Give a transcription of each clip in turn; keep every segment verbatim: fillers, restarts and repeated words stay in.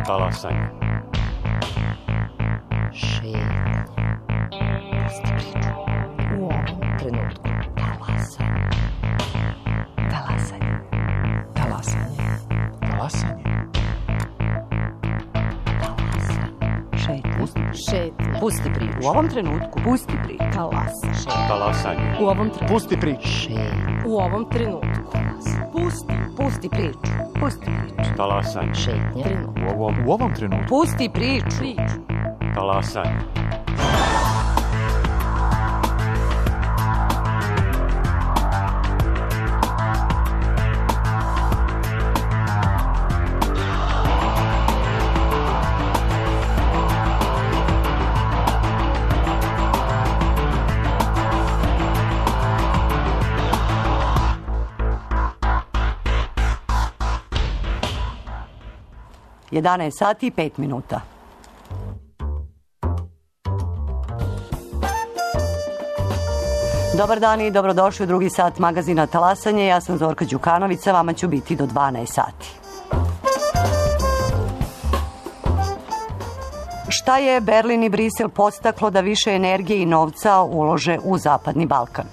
Talasanje. Šetnja. Pusti priču. U ovom trenutku. Talasanje. Talasanje. Talasanje. Talasanje. Šetnja. Šetnja. Pusti priču. U ovom trenutku. Pusti priču. Talas. Talasanje. U ovom trenutku. Pusti priču. Šetnja. U ovom trenutku. Pusti. Pusti priču. Pusti priču. Talasanje. Šetnja. Trenutku. U ovom, U ovom trenutku. Pusti priču. Priču. talasanje. jedanaest sati i pet minuta. Dobar dan i dobrodošli u drugi sat magazina Talasanje. Ja sam Zorka Đukanović, sa vama ću biti do dvanaest sati. Šta je Berlin i Brisel podstaklo da više energije i novca ulože u Zapadni Balkan?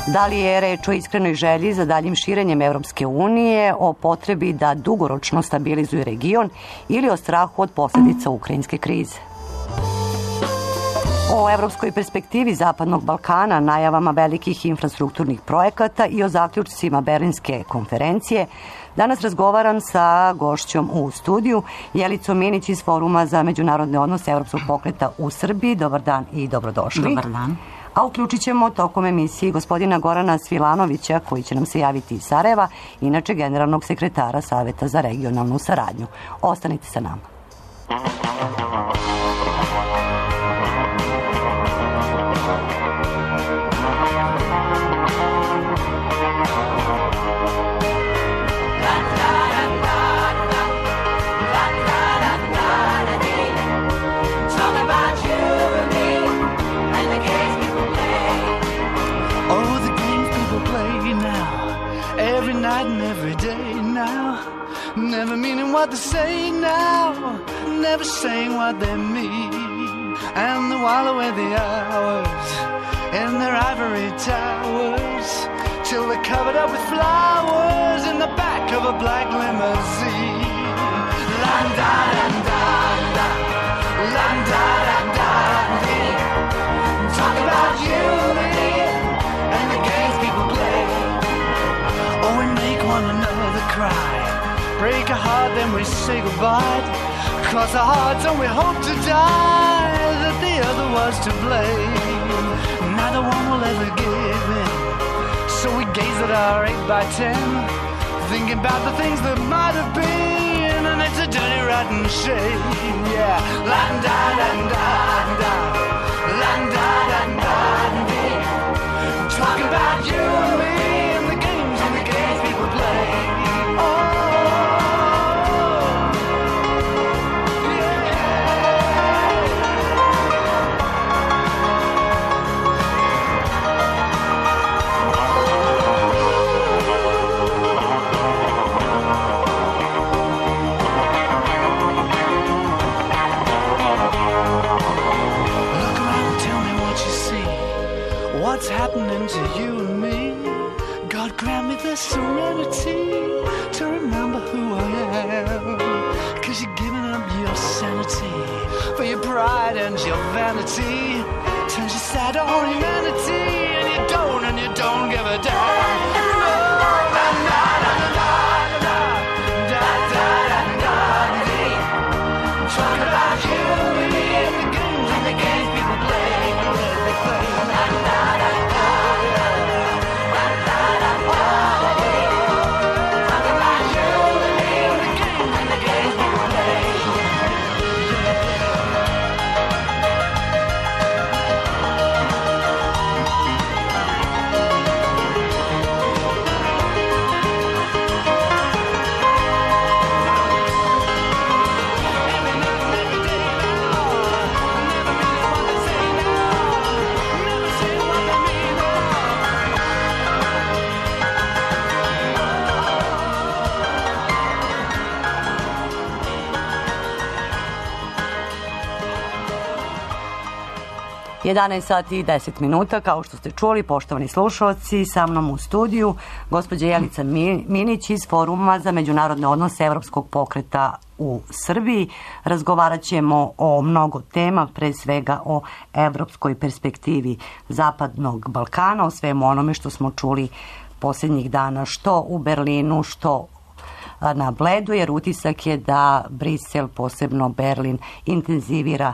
Da li je reč o iskrenoj želji za daljim širenjem Evropske unije, o potrebi da dugoročno stabilizuje region ili o strahu od posljedica ukrajinske krize? O evropskoj perspektivi Zapadnog Balkana, najavama velikih infrastrukturnih projekata i o zaključcima Berlinske konferencije danas razgovaram sa gošćom u studiju, Jelicom Minić iz Foruma za međunarodne odnose Evropskog pokreta u Srbiji. Dobar dan i dobrodošli. Dobar dan. A uključit ćemo tokom emisije gospodina Gorana Svilanovića, koji će nam se javiti iz Sarajeva, inače generalnog sekretara Saveta za regionalnu saradnju. Ostanite sa nama. Never meaning what they say now, never saying what they mean. And they while away the hours in their ivory towers till they're covered up with flowers in the back of a black limousine. La-da-da-da-da, la-da-da-da-dee. Talk about you and me and the games people play. Oh, we make one another cry, break a heart, then we say goodbye. Cross our hearts and we hope to die that the other was to blame. Neither one will ever give in, so we gaze at our eight by ten, thinking about the things that might have been, and it's a dirty rotten shame. Yeah, la-da-da-da-da, la-da-da-da-dee. Talk about you and me and the games and the games people play. What's happening to you and me? God grant me the serenity to remember who I am. Cause you're giving up your sanity for your pride and your vanity. Turns your sad on humanity, and you don't, and you don't give a damn. Talk about you and me and the games and the games people play. They play. jedanaest sati i deset minuta, kao što ste čuli, poštovani slušalci, sa mnom u studiju gospođa Jelica Minić iz Foruma za međunarodne odnose Evropskog pokreta u Srbiji. Razgovarat ćemo o mnogo tema, pre svega o evropskoj perspektivi Zapadnog Balkana, o svemu onome što smo čuli posljednjih dana, što u Berlinu, što na Bledu, jer utisak je da Brisel, posebno Berlin, intenzivira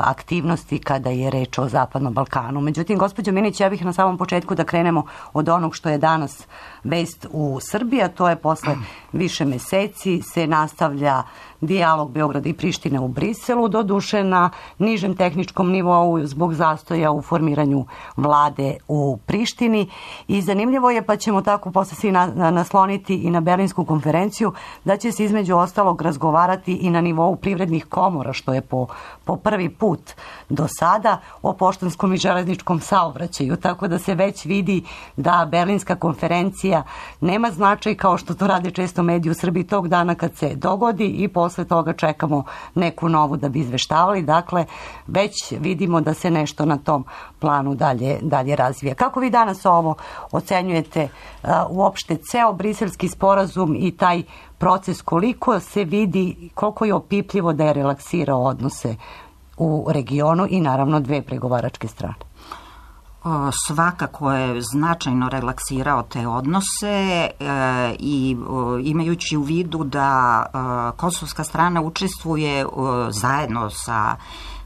aktivnosti kada je reč o Zapadnom Balkanu. Međutim, gospođo Minić, ja bih na samom početku da krenemo od onog što je danas vest u Srbiji, a to je posle više meseci se nastavlja dijalog Beograda i Prištine u Briselu, doduše na nižem tehničkom nivou zbog zastoja u formiranju vlade u Prištini. I zanimljivo je, pa ćemo tako posle svi nasloniti i na Berlinsku konferenciju, da će se između ostalog razgovarati i na nivou privrednih komora, što je po, po prvi put do sada, o poštanskom i železničkom saobraćaju, tako da se već vidi da Berlinska konferencija nema značaj kao što to rade često mediji u Srbiji tog dana kad se dogodi i posle toga čekamo neku novu da bi izveštavali. Dakle, već vidimo da se nešto na tom planu dalje, dalje razvija. Kako vi danas ovo ocenjujete uh, uopšte ceo briselski sporazum i taj proces, koliko se vidi, koliko je opipljivo da je relaksirao odnose u regionu i naravno dve pregovaračke strane? Svakako je značajno relaksirao te odnose e, i o, imajući u vidu da e, kosovska strana učestvuje o, zajedno sa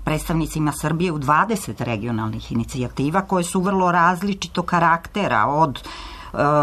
predstavnicima Srbije u dvadeset regionalnih inicijativa koje su vrlo različitog karaktera, od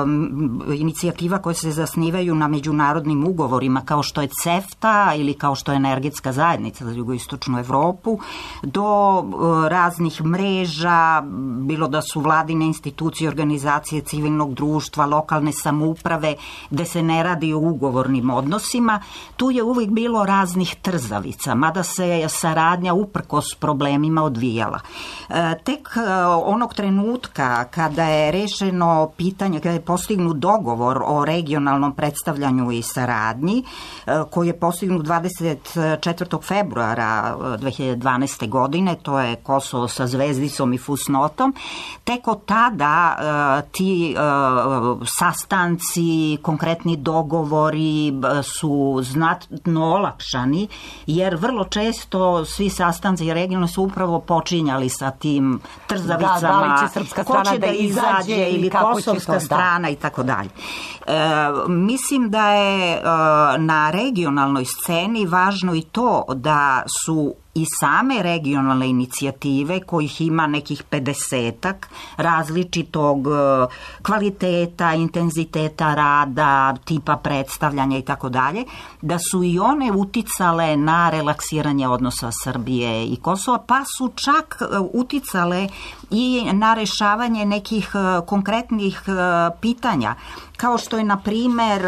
Um, inicijativa koje se zasnivaju na međunarodnim ugovorima kao što je CEFTA ili kao što je Energetska zajednica za jugoistočnu Evropu, do uh, raznih mreža, bilo da su vladine institucije, organizacije civilnog društva, lokalne samouprave, gde se ne radi o ugovornim odnosima. Tu je uvijek bilo raznih trzavica, mada se saradnja uprkos problemima odvijala. Uh, tek uh, onog trenutka kada je rešeno pitanje, kada je postignut dogovor o regionalnom predstavljanju i saradnji, koji je postignut dvadeset četvrtog februara dve hiljade dvanaeste. godine, to je Kosovo sa zvezdicom i fusnotom, tek od tada ti sastanci, konkretni dogovori su znatno olakšani, jer vrlo često svi sastanci regionalno su upravo počinjali sa tim trzavicama, da, da li će srpska strana ko će da, da izađe ili kosovska strana i tako dalje. Mislim da je e, na regionalnoj sceni važno i to da su i same regionalne inicijative, kojih ima nekih pedesetak, različitog kvaliteta, intenziteta rada, tipa predstavljanja i tako dalje, da su i one uticale na relaksiranje odnosa Srbije i Kosova, pa su čak uticale i na rešavanje nekih konkretnih pitanja, kao što je, na primer,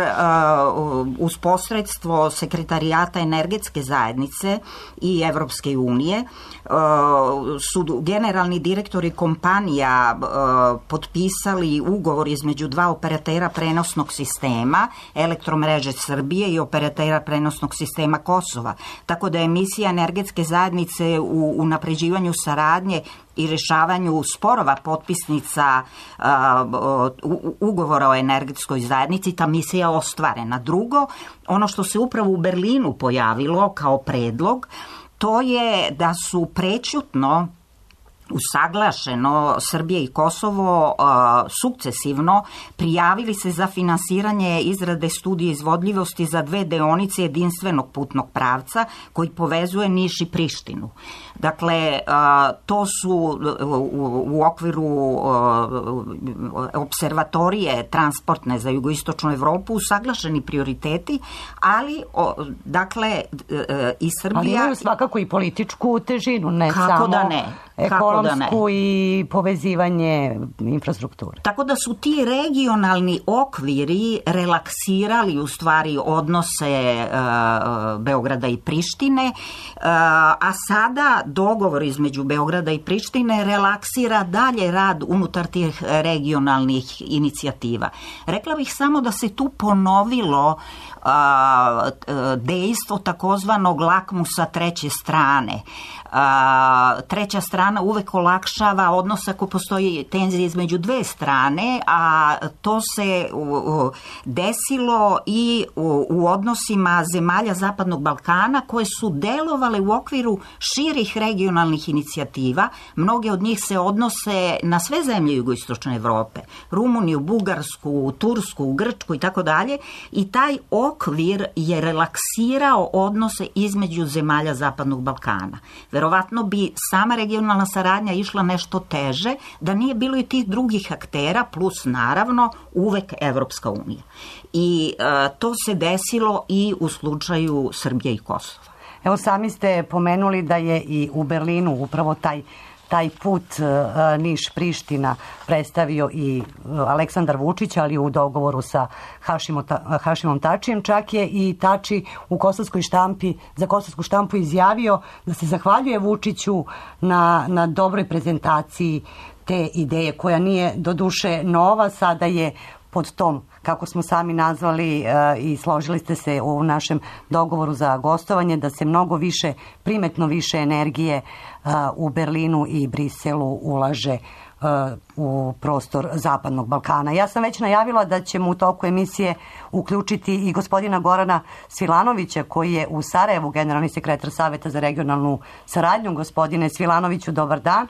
uz posredstvo Sekretarijata Energetske zajednice i Evropske unije, su generalni direktori kompanija potpisali ugovor između dva operatera prenosnog sistema, Elektromreže Srbije i operatera prenosnog sistema Kosova. Tako da je misija Energetske zajednice u unapređivanju saradnje i rešavanju sporova potpisnica uh, ugovora o energetskoj zajednici, ta misija ostvarena. Drugo, ono što se upravo u Berlinu pojavilo kao predlog, to je da su prećutno usaglašeno Srbija i Kosovo uh, sukcesivno prijavili se za finansiranje izrade studije izvodljivosti za dve deonice jedinstvenog putnog pravca koji povezuje Niš i Prištinu. Dakle, uh, to su u, u okviru uh, observatorije transportne za jugoistočnu Evropu usaglašeni prioriteti, ali uh, dakle uh, i Srbija... Ali imaju svakako i političku težinu, ne kako samo... Da ne? ekonomsku i povezivanje infrastrukture. Tako da su ti regionalni okviri relaksirali u stvari odnose uh, Beograda i Prištine, uh, a sada dogovor između Beograda i Prištine relaksira dalje rad unutar tih regionalnih inicijativa. Rekla bih samo da se tu ponovilo a, dejstvo takozvanog lakmusa treće strane. A, treća strana strana uvek olakšava odnos ako postoji tenzija između dve strane, a to se desilo i u odnosima zemalja Zapadnog Balkana koje su delovale u okviru širih regionalnih inicijativa. Mnoge od njih se odnose na sve zemlje jugoistočne Evrope, Rumuniju, Bugarsku, Tursku, Grčku i tako dalje, i taj okvir je relaksirao odnose između zemalja Zapadnog Balkana. Verovatno bi sama regionalna saradnja išla nešto teže da nije bilo i tih drugih aktera, plus naravno uvek Evropska unija. I e, to se desilo i u slučaju Srbije i Kosova. Evo, sami ste pomenuli da je i u Berlinu upravo taj taj put uh, Niš-Priština predstavio i uh, Aleksandar Vučić, ali u dogovoru sa Hašimo, ta, Hašimom Tačijem. Čak je i Tači u kosovskoj štampi, za kosovsku štampu izjavio da se zahvaljuje Vučiću na, na dobroj prezentaciji te ideje, koja nije doduše nova, sada je pod tom, kako smo sami nazvali uh, i složili ste se u našem dogovoru za gostovanje, da se mnogo više, primetno više energije uh, u Berlinu i Briselu ulaže uh, u prostor Zapadnog Balkana. Ja sam već najavila da ćemo u toku emisije uključiti i gospodina Gorana Svilanovića, koji je u Sarajevu generalni sekretar Saveta za regionalnu saradnju. Gospodine Svilanoviću, dobar dan.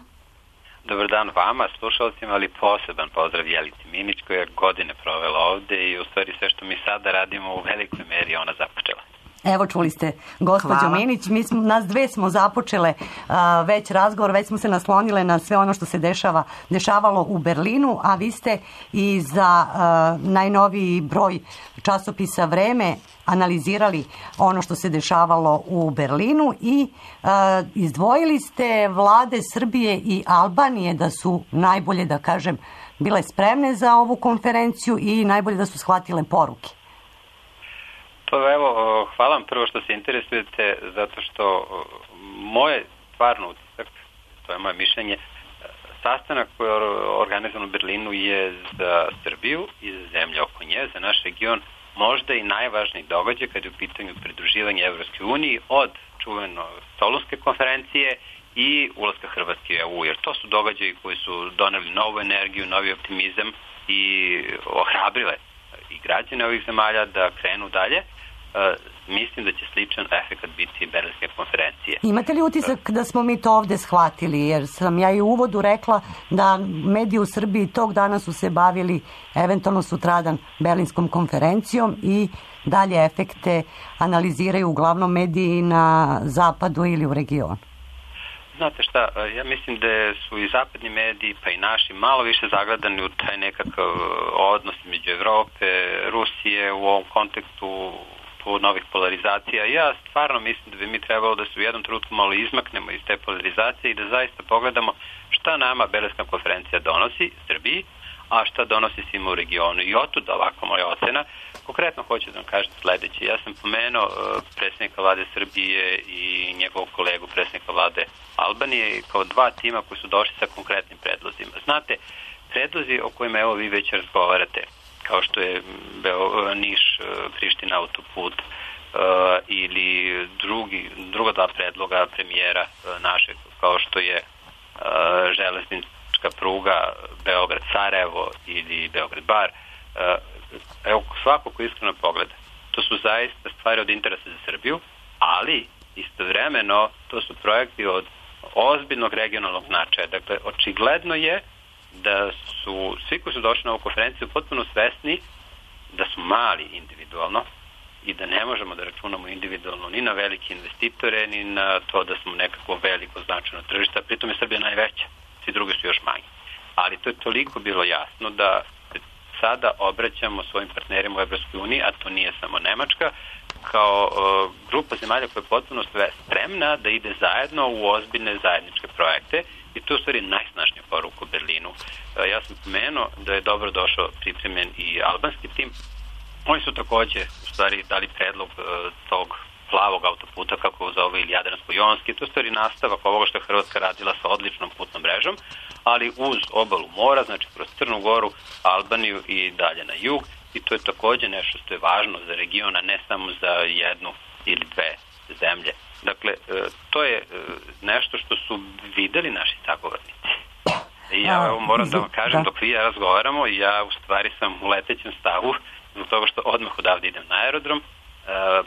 Dobar dan vama, slušalcima, ali poseban pozdrav Jelici Minić, koja je godine provela ovde i u stvari sve što mi sada radimo u velikoj meri ona započela. Evo, čuli ste, gospođo Minić, mi smo, nas dve smo započele a, već razgovor, već smo se naslonile na sve ono što se dešava, dešavalo u Berlinu, a vi ste i za a, najnoviji broj časopisa Vreme analizirali ono što se dešavalo u Berlinu i a, izdvojili ste vlade Srbije i Albanije da su najbolje, da kažem, bile spremne za ovu konferenciju i najbolje da su shvatile poruke. Pa evo, hvala vam prvo što se interesujete, zato što moje stvarno utisak, to je moje mišljenje, sastanak koji je organizovan u Berlinu je za Srbiju i za zemlje oko nje, za naš region, možda i najvažniji događaj kad je u pitanju pridruživanja Evropskoj uniji od čuveno Solunske konferencije i ulaska Hrvatske u E U, jer to su događaji koji su doneli novu energiju, novi optimizam i ohrabrile i građane ovih zemalja da krenu dalje. Uh, mislim da će sličan efekt biti Berlinske konferencije. Imate li utisak da smo mi to ovde shvatili? Jer sam ja i u uvodu rekla da mediji u Srbiji tog dana su se bavili eventualno sutradan Berlinskom konferencijom i dalje efekte analiziraju uglavnom mediji na zapadu ili u regionu. Znate šta, ja mislim da su i zapadni mediji, pa i naši, malo više zagledani u taj nekakav odnos među Evrope, Rusije u ovom kontekstu novih polarizacija. Ja stvarno mislim da bi mi trebalo da se u jednom trenutku malo izmaknemo iz te polarizacije i da zaista pogledamo šta nama Berlinska konferencija donosi Srbiji, a šta donosi svima u regionu. I otud ovako moja ocena. Konkretno hoću da vam kažem sledeće. Ja sam pomenuo predsjednika vlade Srbije i njegovog kolegu predsjednika vlade Albanije kao dva tima koji su došli sa konkretnim predlozima. Znate, predlozi o kojima evo vi već razgovarate, kao što je Beo, Niš, Priština autoput uh, ili drugi, druga dva predloga premijera uh, našeg, kao što je uh, železnička pruga Beograd-Sarajevo ili Beograd-Bar. Uh, evo, svako ko iskreno pogleda, to su zaista stvari od interesa za Srbiju, ali istovremeno to su projekti od ozbiljnog regionalnog značaja. Dakle, očigledno je da su svi koji su došli na ovu konferenciju potpuno svesni da su mali individualno i da ne možemo da računamo individualno ni na velike investitore, ni na to da smo nekako veliko značajno tržište, pritom je Srbija najveća, svi drugi su još manji. Ali to je toliko bilo jasno da se sada obraćamo svojim partnerima u Evropskoj uniji, a to nije samo Nemačka, kao uh, grupa zemalja koja je potpuno spremna da ide zajedno u ozbiljne zajedničke projekte. I to je u stvari najsnažnija poruka u Berlinu. Ja sam pomenuo da je dobro došao pripremljen i albanski tim. Oni su takođe u stvari dali predlog tog plavog autoputa, kako zove, ili Jadransko-Jonski. To je u stvari nastavak ovoga što je Hrvatska radila sa odličnom putnom mrežom, ali uz obalu mora, znači kroz Crnu Goru, Albaniju i dalje na jug. I to je takođe nešto što je važno za region, a ne samo za jednu ili dve zemlje. Dakle, to je nešto što su videli naši sagovornici. I ja evo, moram da vam kažem, dok vi ja razgovaramo, ja u stvari sam u letećem stavu, zbog toga što odmah odavde idem na aerodrom,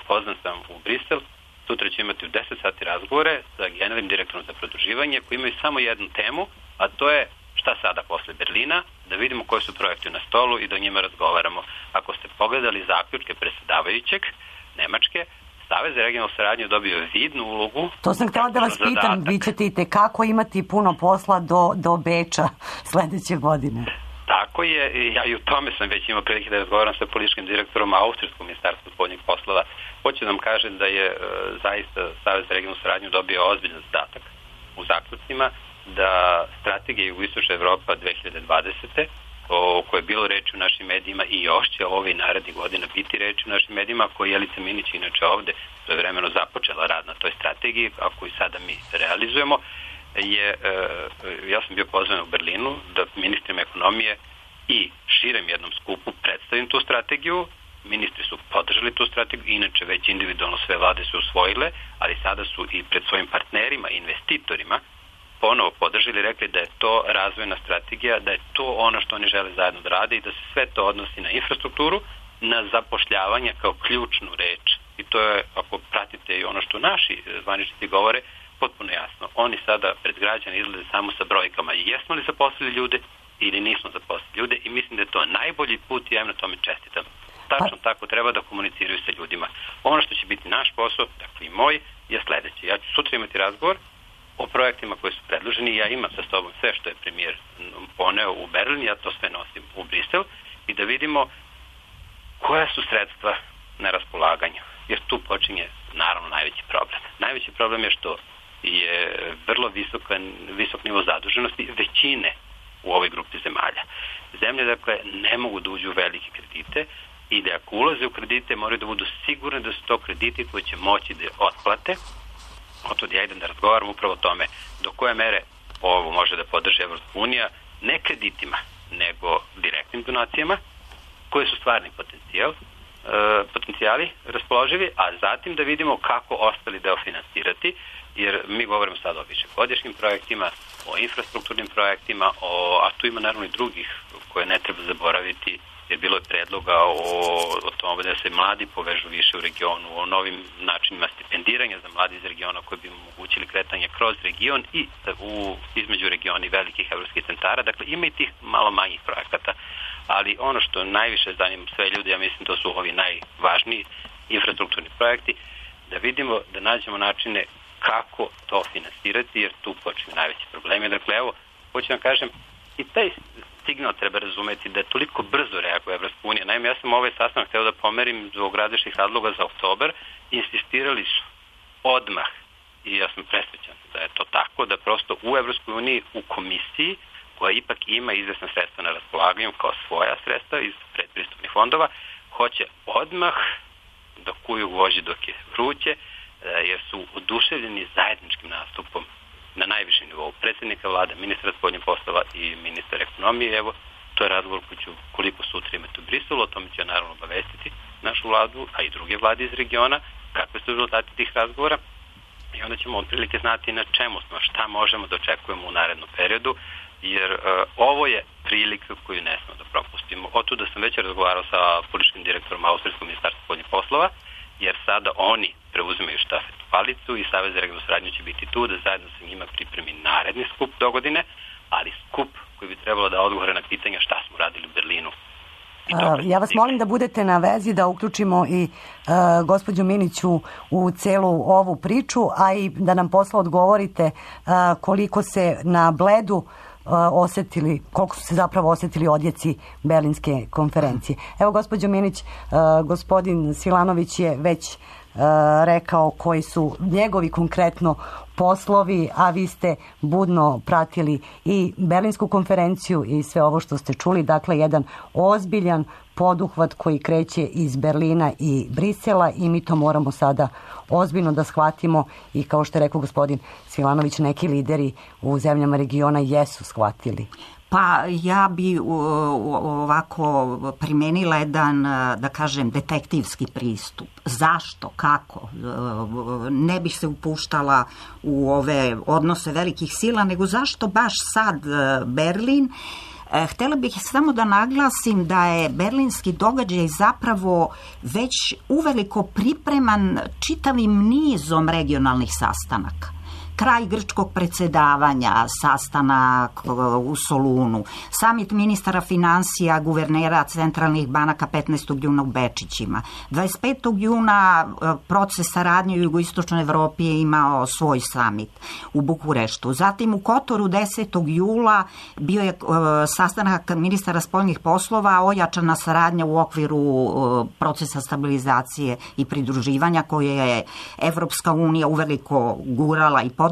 poznan sam u Brisel, sutra ću imati u deset sati razgovore sa generalnim direktorom za produživanje koji imaju samo jednu temu, a to je šta sada posle Berlina, da vidimo koji su projekti na stolu i da o njima razgovaramo. Ako ste pogledali zaključke predsjedavajućeg Nemačke, Savez za regionalnu saradnju dobio vidnu ulogu. To sam htjela da vas pitam, vi ćete i tekako imati puno posla do, do Beča sledeće godine. Tako je, ja i u tome sam već imao prilike da razgovaram sa političkim direktorom Austrijskog ministarstva spoljnih poslova. Hoću da vam kažem da je e, zaista Savez za regionalnu saradnju dobio ozbiljan zadatak u zaključcima da strategija Jugoistočna Evropa dve hiljade dvadesete o kojoj je bilo reči u našim medijima i još će ove i narednih godina biti reči u našim medijima, koji Jelica Minić inače ovde svojevremeno započela rad na toj strategiji, a koju sada mi realizujemo, je, ja sam bio pozvan u Berlinu da ministrima ekonomije i širem jednom skupu predstavim tu strategiju. Ministri su podržali tu strategiju, inače već individualno sve vlade su usvojile, ali sada su i pred svojim partnerima, investitorima, ponovo podržali, rekli da je to razvojna strategija, da je to ono što oni žele zajedno da rade i da se sve to odnosi na infrastrukturu, na zapošljavanje kao ključnu reč. I to je, ako pratite i ono što naši zvaničnici govore, potpuno jasno. Oni sada pred građane izlaze samo sa brojkama. Jesmo li zaposlili ljude ili nismo zaposlili ljude i mislim da je to najbolji put i ja im na tome čestitam. Tačno tako treba da komuniciraju sa ljudima. Ono što će biti naš posao, dakle i moj, je sledeće. Ja ću sutra imati razgovor o projektima koji su predloženi. Ja imam sa sobom sve što je premijer poneo u Berlin, ja to sve nosim u Brisel i da vidimo koja su sredstva na raspolaganju. Jer tu počinje naravno najveći problem. Najveći problem je što je vrlo visok, visok nivo zaduženosti većine u ovoj grupi zemalja. Zemlje, dakle, ne mogu da uđu u velike kredite i da ako ulaze u kredite moraju da budu sigurni da su to krediti koji će moći da otplate. Otod ja idem da razgovaram upravo o tome do koje mere ovo može da podrži Evropska unija, ne kreditima, nego direktnim donacijama, koji su stvarni potencijal, e, potencijali raspoloživi, a zatim da vidimo kako ostali deo finansirati, jer mi govorimo sad o višegodišnjim projektima, o infrastrukturnim projektima, o, a tu ima naravno i drugih koje ne treba zaboraviti, jer bilo je predloga o, o tome da se mladi povežu više u regionu, o novim načinima stipendiranja za mladi iz regiona koji bi omogućili kretanje kroz region i u, između regiona i velikih evropskih centara. Dakle, ima i tih malo manjih projekata, ali ono što najviše zanima sve ljudi, ja mislim da su ovi najvažniji infrastrukturni projekti, da vidimo, da nađemo načine kako to finansirati, jer tu počinju najveći problemi. Dakle, evo, hoću vam kažem, i taj signal treba razumeti da je toliko brzo reaguje Evropska unija. Naime, ja sam ovaj sastanak hteo da pomerim zbog različitih razloga za oktobar. Insistirali su odmah, i ja sam presrećan da je to tako, da prosto u Evropskoj uniji, u komisiji, koja ipak ima izvesna sredstva na raspolaganju kao svoja sredstva iz predpristupnih fondova, hoće odmah da kuju vođi dok je vruće, jer su oduševljeni zajedničkim nastupom na najvišem nivou predsjednika vlade, ministra spoljnih poslova i ministra ekonomije. Evo, to je razgovor koji ću koliko sutra imati u Briselu, o tome ću naravno obavestiti našu vladu, a i druge vlade iz regiona, kakve su rezultati tih razgovora i onda ćemo otprilike znati na čemu smo, šta možemo da očekujemo u narednom periodu, jer uh, ovo je prilika koju ne smemo da propustimo. Otuda sam već razgovarao sa političkim direktorom Austrijskog ministarstva spoljnih poslova, jer sada oni preuzimaju štafetu palicu i Savez za regionalnu saradnju će biti tu da zajedno sa njima pripremi naredni skup dogodine, ali skup koji bi trebalo da odgovore na pitanja šta smo radili u Berlinu. Ja vas molim da budete na vezi, da uključimo i uh, gospođu Miniću u celu ovu priču, a i da nam posle odgovorite uh, koliko se na Bledu osetili, koliko su se zapravo osetili odjeci Berlinske konferencije. Evo, gospođo Minić, gospodin Svilanović je već rekao koji su njegovi konkretno poslovi, a vi ste budno pratili i Berlinsku konferenciju i sve ovo što ste čuli. Dakle, jedan ozbiljan poduhvat koji kreće iz Berlina i Brisela i mi to moramo sada ozbiljno da shvatimo i kao što je rekao gospodin Svilanović, neki lideri u zemljama regiona jesu shvatili. Pa ja bi ovako primenila jedan, da kažem, detektivski pristup. Zašto? Kako? Ne bih se upuštala u ove odnose velikih sila, nego zašto baš sad Berlin? Htjela bih samo da naglasim da je berlinski događaj zapravo već uveliko pripreman čitavim nizom regionalnih sastanaka. Kraj grčkog predsjedavanja, sastanak u Solunu, samit ministara financija, guvernera centralnih banaka petnaestog juna u Bečićima. dvadeset petog juna proces saradnje u jugoistočnoj Evropi je imao svoj samit u Bukureštu. Zatim u Kotoru desetog jula bio je sastanak ministara spoljnih poslova, ojačana saradnja u okviru procesa stabilizacije i pridruživanja koje je Evropska unija uveliko gurala i podržala.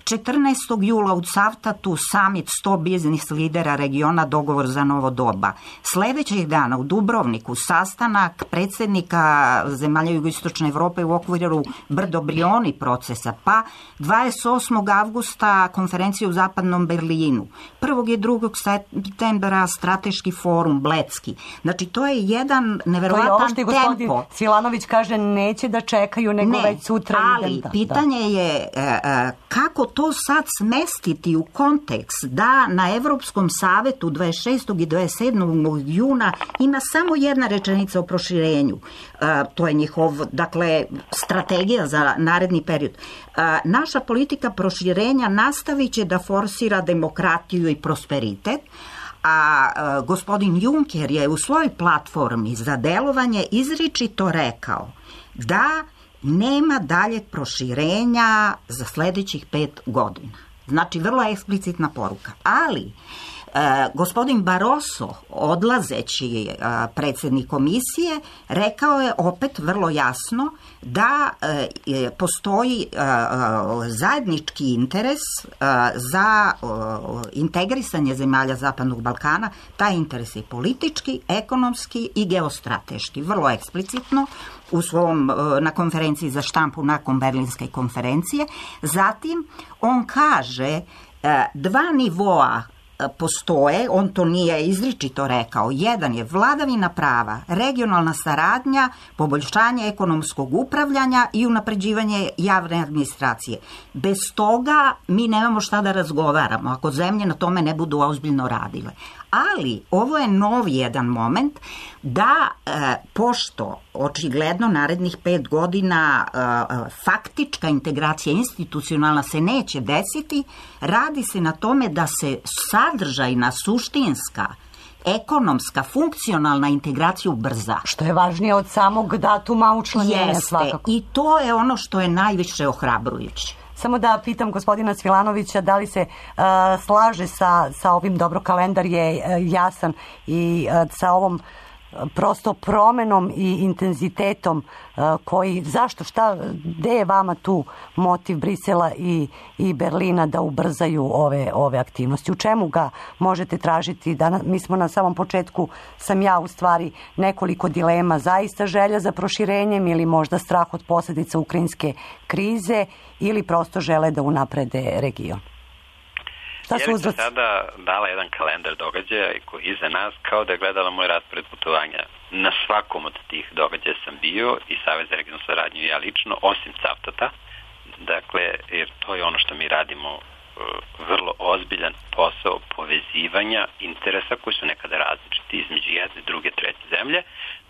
četrnaestog jula u Cavtatu samit sto biznis lidera regiona, dogovor za novo doba. Sledećeg dana u Dubrovniku sastanak predsjednika zemalja jugoistočne Evrope u okviru Brdo-Brioni procesa, pa dvadeset osmog avgusta konferencija u zapadnom Berlinu. prvog i drugog septembra strateški forum Blecki. Znači, to je jedan neverovatan tempo. To je ovo što gospodin Svilanović kaže, neće da čekaju, nego ne, već sutra. Ali idem, da, pitanje da. je e, kako to sad smestiti u kontekst da na Evropskom savetu dvadeset šestog i dvadeset sedmog juna ima samo jedna rečenica o proširenju. E, to je njihov, dakle, strategija za naredni period. E, naša politika proširenja nastavit će da forsira demokratiju i prosperitet, a e, gospodin Juncker je u svojoj platformi za delovanje izričito rekao da nema daljeg proširenja za sljedećih pet godina. Znači, vrlo eksplicitna poruka. Ali, e, gospodin Barroso, odlazeći e, predsjednik komisije, rekao je opet vrlo jasno da e, postoji e, zajednički interes e, za e, integrisanje zemalja Zapadnog Balkana. Taj interes je politički, ekonomski i geostrateški. Vrlo eksplicitno u svom, na konferenciji za štampu nakon Berlinske konferencije. Zatim, on kaže dva nivoa postoje, on to nije izričito rekao. Jedan je vladavina prava, regionalna saradnja, poboljšanje ekonomskog upravljanja i unapređivanje javne administracije. Bez toga mi nemamo šta da razgovaramo, ako zemlje na tome ne budu ozbiljno radile. Ali ovo je novi jedan moment da, e, pošto očigledno narednih pet godina e, faktička integracija institucionalna se neće desiti, radi se na tome da se sadržajna, suštinska, ekonomska, funkcionalna integracija ubrza. Što je važnije od samog datuma učlanjenja svakako. I to je ono što je najviše ohrabrujuće. Samo da pitam gospodina Svilanovića da li se uh, slaže sa, sa ovim, dobro, kalendar je uh, jasan i uh, sa ovom prosto promenom i intenzitetom uh, koji, zašto, šta, gde je vama tu motiv Brisela i, i Berlina da ubrzaju ove, ove aktivnosti? U čemu ga možete tražiti? Da, mi smo na samom početku, sam ja u stvari nekoliko dilema, zaista želja za proširenjem ili možda strah od posljedica ukrajinske krize ili prosto žele da unaprede region? Ja bih sada dala jedan kalendar događaja koji je iza nas, kao da je gledala moj raspored putovanja. Na svakom od tih događaja sam bio i Savez za regionalnu saradnju i ja lično, osim Cavtata. Dakle, jer to je ono što mi radimo, vrlo ozbiljan posao povezivanja interesa koji su nekada različiti između jedne, druge, treće zemlje,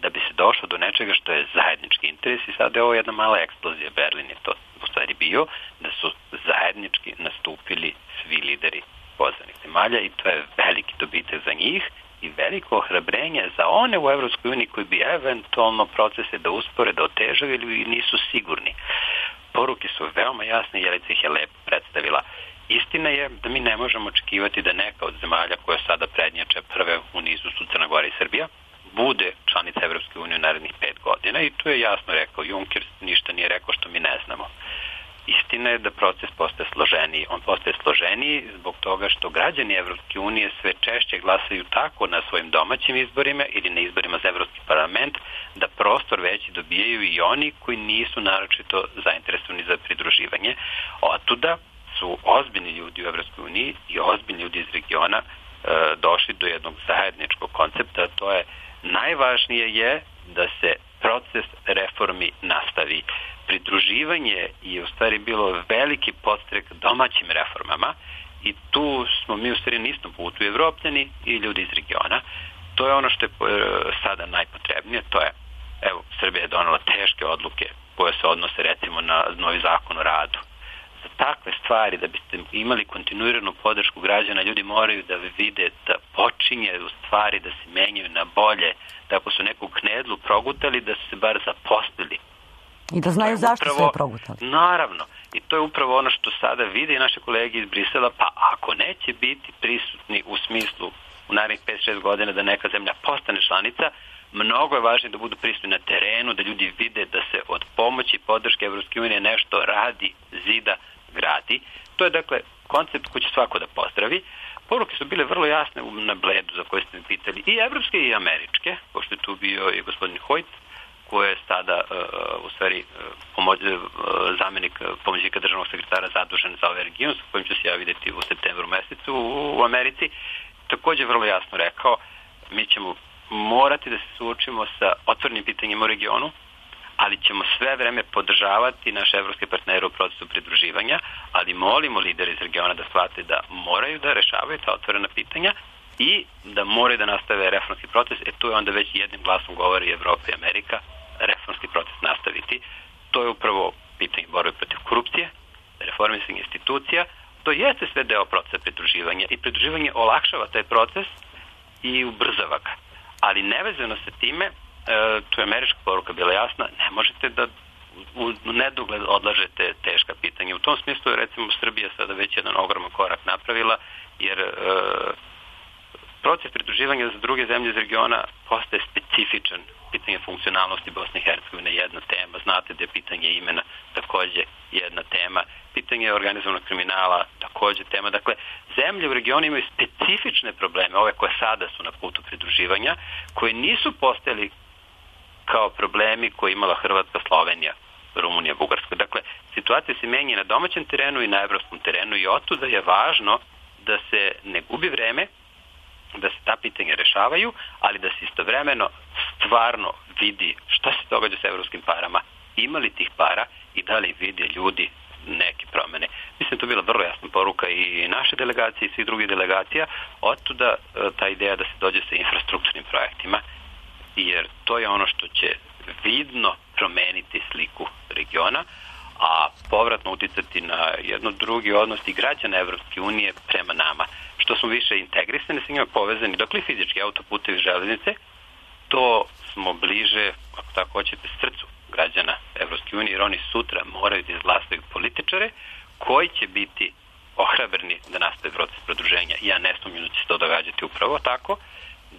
da bi se došlo do nečega što je zajednički interes. I sada je ovo jedna mala eksplozija. Berlin je to u stvari bio, da su zajednički nastupili svi lideri pozvanih zemalja i to je veliki dobitak za njih i veliko ohrabrenje za one u Evropskoj uniji koji bi eventualno procese da uspore, da otežaju ili nisu sigurni. Poruke su veoma jasne, Jelica ih je lepo predstavila. Istina je da mi ne možemo očekivati da neka od zemalja koja sada prednjače prve u nizu su Crna Gora i Srbija bude članica Evropske unije u narednih pet godina i to je jasno rekao Juncker, ništa nije rekao što mi ne znamo. Istina je da proces postaje složeniji. On postaje složeniji zbog toga što građani Evropske unije sve češće glasaju tako na svojim domaćim izborima ili na izborima za Evropski parlament da prostor veći dobijaju i oni koji nisu naročito zainteresovani za pridruživanje. Otuda su ozbiljni ljudi u Evropskoj uniji i ozbiljni ljudi iz regiona došli do jednog zajedničkog koncepta, a to je najvažnije je da se proces reformi nastavi. Pridruživanje je u stvari bilo veliki podstrek domaćim reformama i tu smo mi u stvari na istom putu, Evropljani i ljudi iz regiona. To je ono što je sada najpotrebnije, to je, evo, Srbija je donela teške odluke koje se odnose recimo na novi zakon o radu. Za takve stvari, da biste imali kontinuiranu podršku građana, ljudi moraju da vide da počinje u stvari da se menjaju na bolje, da ako su neku knedlu progutali, da su se bar zaposlili. I da znaju zašto upravo, su je progutali. Naravno. I to je upravo ono što sada vide i naše kolege iz Brisela, pa ako neće biti prisutni u smislu u narednih pet šest godina da neka zemlja postane članica, mnogo je važnije da budu prisutni na terenu, da ljudi vide da se od pomoći i podrške Evropske unije nešto radi, zida, gradi. To je dakle koncept koji će svako da pozdravi. Poruke su bile vrlo jasne na Bledu za koje ste mi pitali, i evropske i američke, pošto je tu bio i gospodin Hojt, koji je sada uh, u stvari uh, pomoć, uh, zamjenik pomoćnika državnog sekretara zadužen za ovaj region, sa kojim ću se ja vidjeti u septembru mesecu u, u Americi. Također vrlo jasno rekao, mi ćemo morati da se suočimo sa otvorenim pitanjima u regionu, ali ćemo sve vreme podržavati naše evropske partnere u procesu pridruživanja, ali molimo lideri iz regiona da shvate da moraju da rešavaju ta otvorena pitanja i da moraju da nastave reformski proces, e to je onda već jednim glasom govori Evropa i Amerika, reformski proces nastaviti. To je upravo pitanje borbe protiv korupcije, reformisanje institucija, to jeste sve deo procesa pridruživanja i pridruživanje olakšava taj proces i ubrzava ga. Ali nevezano sa time, e, tu je američka poruka bila jasna, ne možete da u nedogled odlažete teška pitanja. U tom smislu je recimo Srbija sada već jedan ogroman korak napravila, jer e, proces pridruživanja za druge zemlje iz regiona postaje specifičan. Pitanje funkcionalnosti Bosne i Hercegovine je jedna tema, znate da je pitanje imena takođe jedna tema, pitanje organizovanog kriminala takođe tema. Dakle, zemlje u regionu imaju specifične probleme, ove koje sada su na putu pridruživanja, koje nisu postojali kao problemi koje imala Hrvatska, Slovenija, Rumunija, Bugarska. Dakle, situacija se menja na domaćem terenu i na evropskom terenu i otuda je važno da se ne gubi vreme, da se ta pitanja rešavaju, ali da se istovremeno stvarno vidi šta se događa sa evropskim parama, ima li tih para i da li vide ljudi neke promene. Mislim, to je bila vrlo jasna poruka i naše delegacije i svih drugih delegacija, otuda ta ideja da se dođe sa infrastrukturnim projektima, jer to je ono što će vidno promeniti sliku regiona, a povratno uticati na jedno drugi odnos i građana Evropske unije prema nama. Što smo više integrisani sa njima, povezani, dokle fizički autoputevi, železnice, to smo bliže, ako tako hoćete, srcu građana Evropske unije, jer oni sutra moraju da izglasaju političare koji će biti ohrabrni da nastave proces produženja. Ja ne sumnjam da će se to događati upravo tako,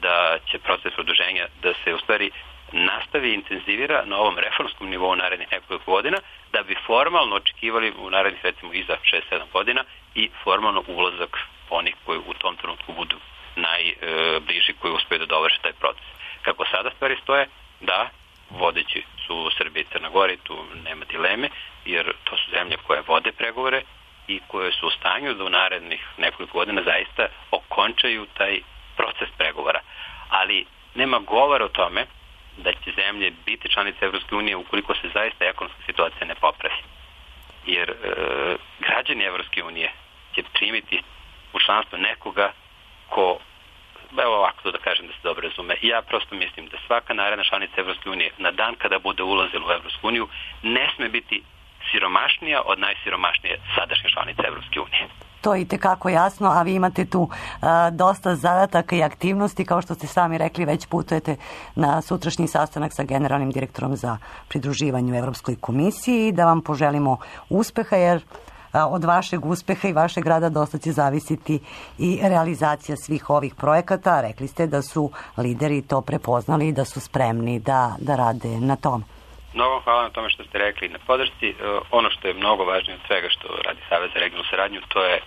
da će proces produženja da se u stvari nastavi i intenzivira na ovom reformskom nivou narednih nekoliko godina, da bi formalno očekivali u narednih recimo iza šest sedam godina i formalno ulazak onih koji u tom trenutku budu najbliži, koji uspeju da dovrše taj proces. Kako sada stvari stoje, da, vodeći su Srbija i Crna Gora, tu nema dileme, jer to su zemlje koje vode pregovore i koje su u stanju da u narednih nekoliko godina zaista okončaju taj proces pregovora. Ali nema govora o tome da će zemlje biti članice Evropske unije ukoliko se zaista ekonomska situacija ne popravi. Jer e, građani Evropske unije će primiti u članstvo nekoga ko, evo ovako to da kažem da se dobro razume, ja prosto mislim da svaka naredna članica Evropske unije na dan kada bude ulazila u Evropsku uniju ne sme biti siromašnija od najsiromašnije sadašnje članice Evropske unije. To je itekako jasno, a vi imate tu a, dosta zadataka i aktivnosti, kao što ste sami rekli, već putujete na sutrašnji sastanak sa generalnim direktorom za pridruživanje u Evropskoj komisiji, da vam poželimo uspeha, jer a, od vašeg uspeha i vašeg rada dosta će zavisiti i realizacija svih ovih projekata. Rekli ste da su lideri to prepoznali i da su spremni da, da rade na tom. Mnogo hvala na tome što ste rekli na podršci. Ono što je mnogo važnije od svega što radi Savez za regionalnu saradnju, to je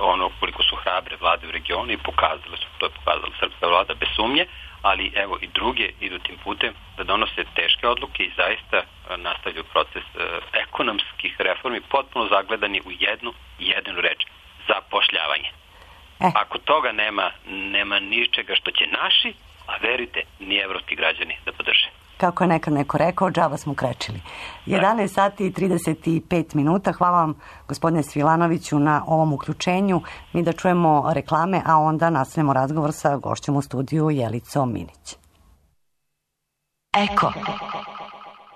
ono koliko su hrabre vlade u regionu i pokazale su, to je pokazala srpska vlada bez sumnje, ali evo i druge idu tim putem da donose teške odluke i zaista nastavljaju proces ekonomskih reformi potpuno zagledani u jednu jedinu reč, zapošljavanje. E. Ako toga nema, nema ničega što će naši, a verite, ni evropski građani da podrže. Kako je nekad neko rekao, džaba smo krečili. jedanaest sati i trideset pet minuta. Hvala vam, gospodine Svilanoviću, na ovom uključenju. Mi da čujemo reklame, a onda nastavimo razgovor sa gošćom u studiju Jelicom Minić. Eko.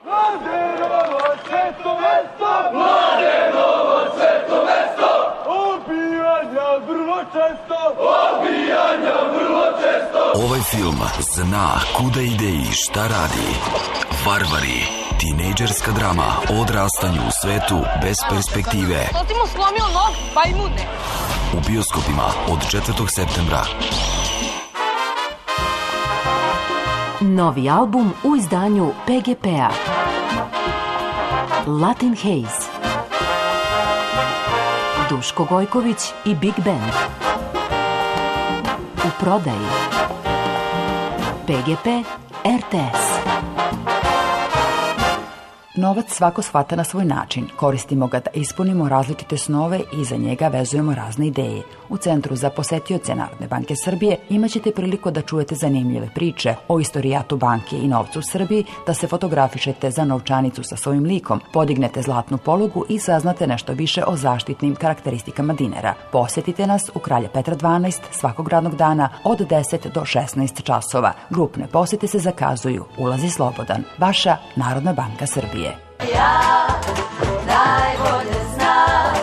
Mladenovo sveto mesto! Mladenovo sveto mesto! Obijanja vrlo često! Obijanja vrlo često! Ovaj film zna kuda ide i šta radi. Varvari. Tinejdžerska drama o odrastanju u svetu bez perspektive. To ti mu slomio nog, pa i mude. U bioskopima od četvrtog septembra. Novi album u izdanju P G P-a. Latin Haze. Duško Gojković i Big Band. U prodaji. P G P R T S. Novac svako shvata na svoj način. Koristimo ga da ispunimo različite snove i za njega vezujemo razne ideje. U Centru za posetioce Narodne banke Srbije imaćete priliku da čujete zanimljive priče o istorijatu banke i novcu u Srbiji, da se fotografišete za novčanicu sa svojim likom, podignete zlatnu polugu i saznate nešto više o zaštitnim karakteristikama dinara. Posetite nas u Kralja Petra dvanaest svakog radnog dana od deset do šesnaest časova. Grupne posete se zakazuju. Ulaz je slobodan. Vaša Narodna banka Srbije. Ja najbolje znam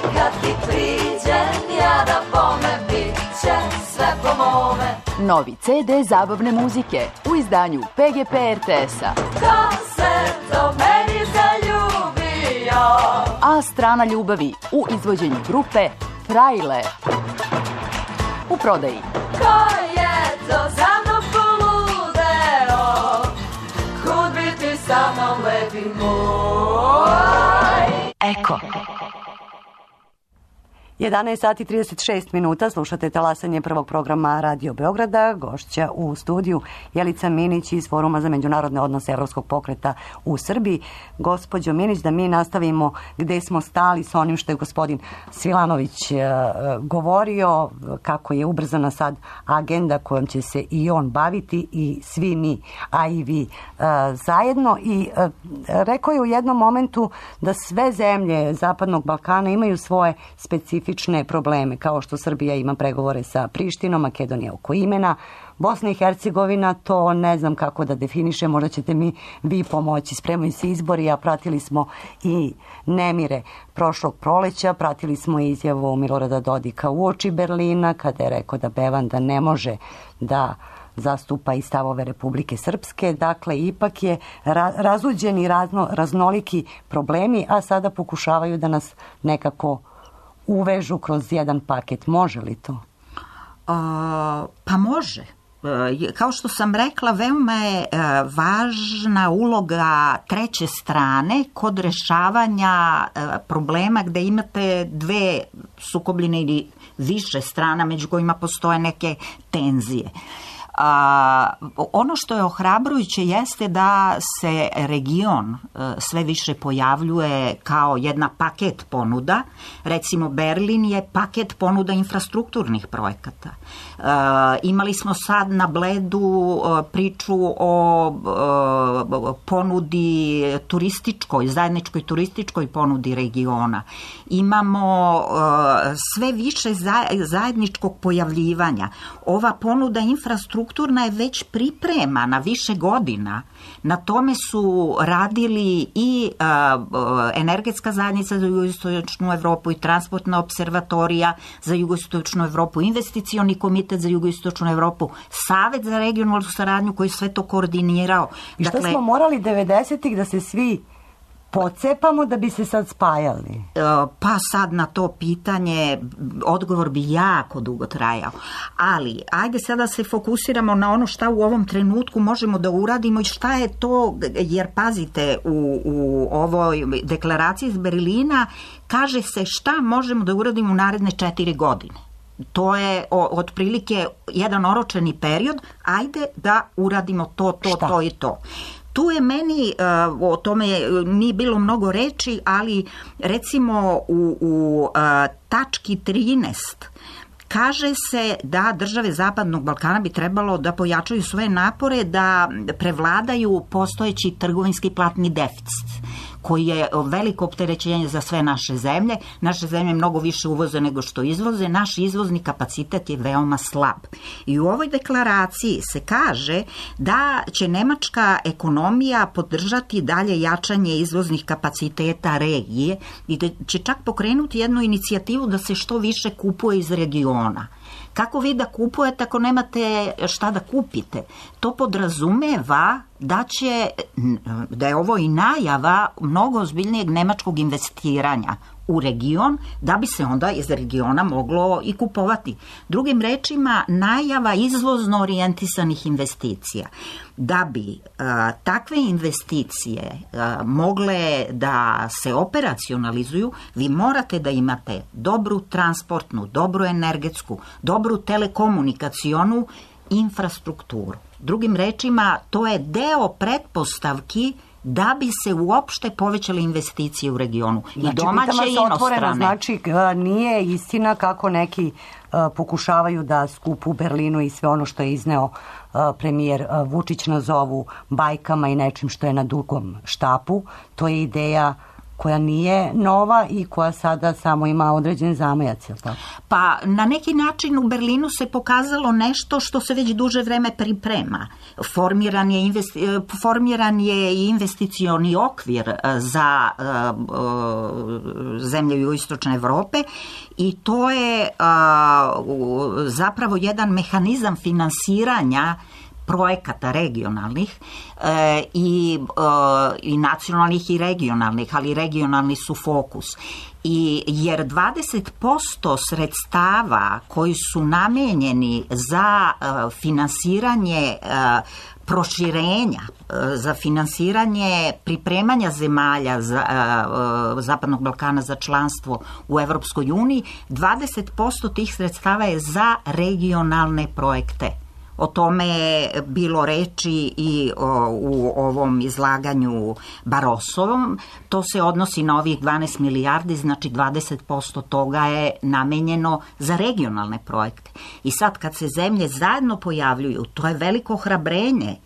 kad ti priđem ja da bome bit će sve po mome. Novi C D zabavne muzike u izdanju P G P R T S-a. Ko se to meni zaljubio? A strana ljubavi u izvođenju grupe Frajle. U prodaji. Ko je to za mnom poludeo? Kud bi ti sa mnom lepi moj? Eko. jedanaest sati i trideset šest minuta, slušate talasanje prvog programa Radio Beograda, gošća u studiju Jelica Minić iz Foruma za međunarodne odnose Evropskog pokreta u Srbiji. Gospođo Minić, da mi nastavimo gde smo stali sa onim što je gospodin Svilanović uh, govorio, kako je ubrzana sad agenda kojom će se i on baviti i svi mi, a i vi uh, zajedno. I uh, rekao je u jednom momentu da sve zemlje Zapadnog Balkana imaju svoje specifične probleme, kao što Srbija ima pregovore sa Prištinom, Makedonija oko imena, Bosna i Hercegovina, to ne znam kako da definiše, možda ćete mi vi pomoći. Spremaju se izbori, a pratili smo i nemire prošlog proleća, pratili smo izjavu Milorada Dodika uoči Berlina, kada je rekao da Bevanda ne može da zastupa i stavove Republike Srpske. Dakle, ipak je ra- razuđeni razno, raznoliki problemi, a sada pokušavaju da nas nekako uvežu kroz jedan paket. Može li to? A, pa može. E, kao što sam rekla, veoma je e, važna uloga treće strane kod rešavanja e, problema gde imate dve sukobljene ili više strana među kojima postoje neke tenzije. A, ono što je ohrabrujuće jeste da se region e, sve više pojavljuje kao jedna paket ponuda. Recimo, Berlin je paket ponuda infrastrukturnih projekata. E, imali smo sad na Bledu e, priču o e, ponudi turističkoj, zajedničkoj turističkoj ponudi regiona. Imamo e, sve više zajedničkog pojavljivanja. Ova ponuda infrastrukturnih Strukturna je već pripremana više godina. Na tome su radili i uh, energetska zajednica za jugoistočnu Evropu i transportna observatorija za jugoistočnu Evropu, investicioni komitet za jugoistočnu Evropu, Savet za regionalnu saradnju koji sve to koordinirao. I što dakle, smo morali devedesetih da se svi pocepamo da bi se sad spajali? Pa sad na to pitanje odgovor bi jako dugo trajao. Ali, ajde sada se fokusiramo na ono šta u ovom trenutku možemo da uradimo i šta je to, jer pazite, u, u ovoj deklaraciji iz Berlina kaže se šta možemo da uradimo u naredne četiri godine. To je o, otprilike jedan oročeni period, ajde da uradimo to, to, šta? to i to. Tu je meni, o tome nije bilo mnogo reči, ali recimo u, u tački trinaest Kaže se da države Zapadnog Balkana bi trebalo da pojačaju svoje napore da prevladaju postojeći trgovinski platni deficit, koji je veliko opterećenje za sve naše zemlje. Naše zemlje mnogo više uvoze nego što izvoze, naš izvozni kapacitet je veoma slab. I u ovoj deklaraciji se kaže da će nemačka ekonomija podržati dalje jačanje izvoznih kapaciteta regije i da će čak pokrenuti jednu inicijativu da se što više kupuje iz regiona. Kako vi da kupujete ako nemate šta da kupite? To podrazumeva da će, da je ovo i najava mnogo ozbiljnijeg nemačkog investiranja u region, da bi se onda iz regiona moglo i kupovati. Drugim rečima, najava izvozno orijentisanih investicija. Da bi a, takve investicije a, mogle da se operacionalizuju, vi morate da imate dobru transportnu, dobru energetsku, dobru telekomunikacionu infrastrukturu. Drugim rečima, to je deo pretpostavki da bi se uopšte povećale investicije u regionu. I znači, domaće i inostrane. Znači, nije istina kako neki uh, pokušavaju da skup u Berlinu i sve ono što je izneo uh, premijer uh, Vučić nazovu bajkama i nečim što je na dugom štapu. To je ideja koja nije nova i koja sada samo ima određen zamajac, je li tako? Pa na neki način u Berlinu se pokazalo nešto što se već duže vreme priprema. Formiran je, investi, formiran je i investicioni okvir za uh, uh, zemlje jugoistočne Evrope i to je uh, zapravo jedan mehanizam finansiranja projekata regionalnih e, i, e, i nacionalnih i regionalnih, ali regionalni su fokus. I, jer dvadeset posto sredstava koji su namenjeni za e, finansiranje e, proširenja, za finansiranje pripremanja zemalja za, uh, Zapadnog Balkana za članstvo u Evropskoj uniji, dvadeset posto tih sredstava je za regionalne projekte. O tome je bilo reči i o, u ovom izlaganju Barosovom. To se odnosi na ovih dvanaest milijardi, znači dvadeset posto toga je namenjeno za regionalne projekte. I sad kad se zemlje zajedno pojavljuju, to je veliko hrabrenje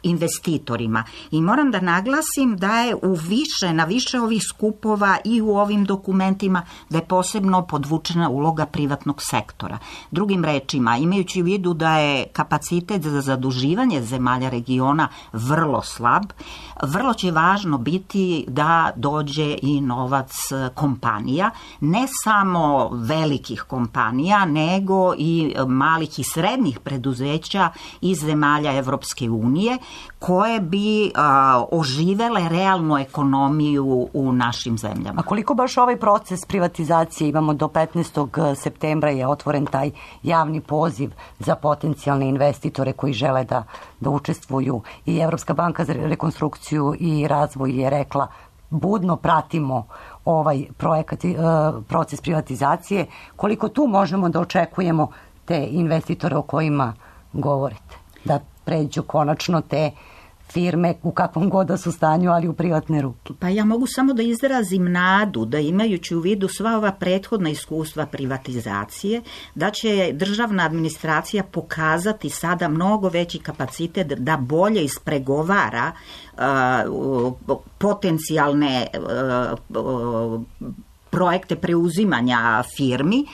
investitorima. I moram da naglasim da je u više, na više ovih skupova i u ovim dokumentima da je posebno podvučena uloga privatnog sektora. Drugim rečima, imajući u vidu da je kapacitet za zaduživanje zemalja regiona vrlo slab, vrlo će važno biti da dođe i novac kompanija, ne samo velikih kompanija, nego i malih i srednjih preduzeća iz zemalja Evropske unije, koje bi a, oživele realnu ekonomiju u našim zemljama. A koliko baš ovaj proces privatizacije, imamo do petnaestog septembra je otvoren taj javni poziv za potencijalne investitore koji žele da, da učestvuju, i Evropska banka za rekonstrukciju i razvoj je rekla budno pratimo ovaj projekat, proces privatizacije. Koliko tu možemo da očekujemo te investitore o kojima govorite? Da pređu konačno te firme u kakvom god da su stanju, ali u privatne ruke. Pa ja mogu samo da izrazim nadu da, imajući u vidu sva ova prethodna iskustva privatizacije, da će državna administracija pokazati sada mnogo veći kapacitet da bolje ispregovara uh, potencijalne uh, uh, projekte preuzimanja firmi,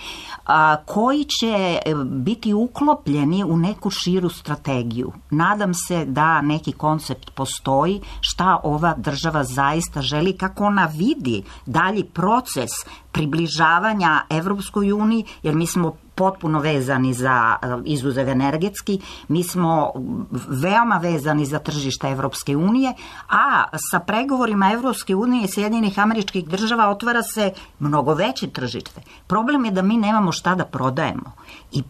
a, koji će biti uklopljeni u neku širu strategiju. Nadam se da neki koncept postoji, šta ova država zaista želi, kako ona vidi dalji proces približavanja Evropskoj uniji, jer mi smo potpuno vezani za, izuzev energetski, mi smo veoma vezani za tržište Evropske unije, a sa pregovorima Evropske unije i Sjedinjenih Američkih Država otvara se mnogo veće tržište. Problem je da mi nemamo šta da prodajemo. I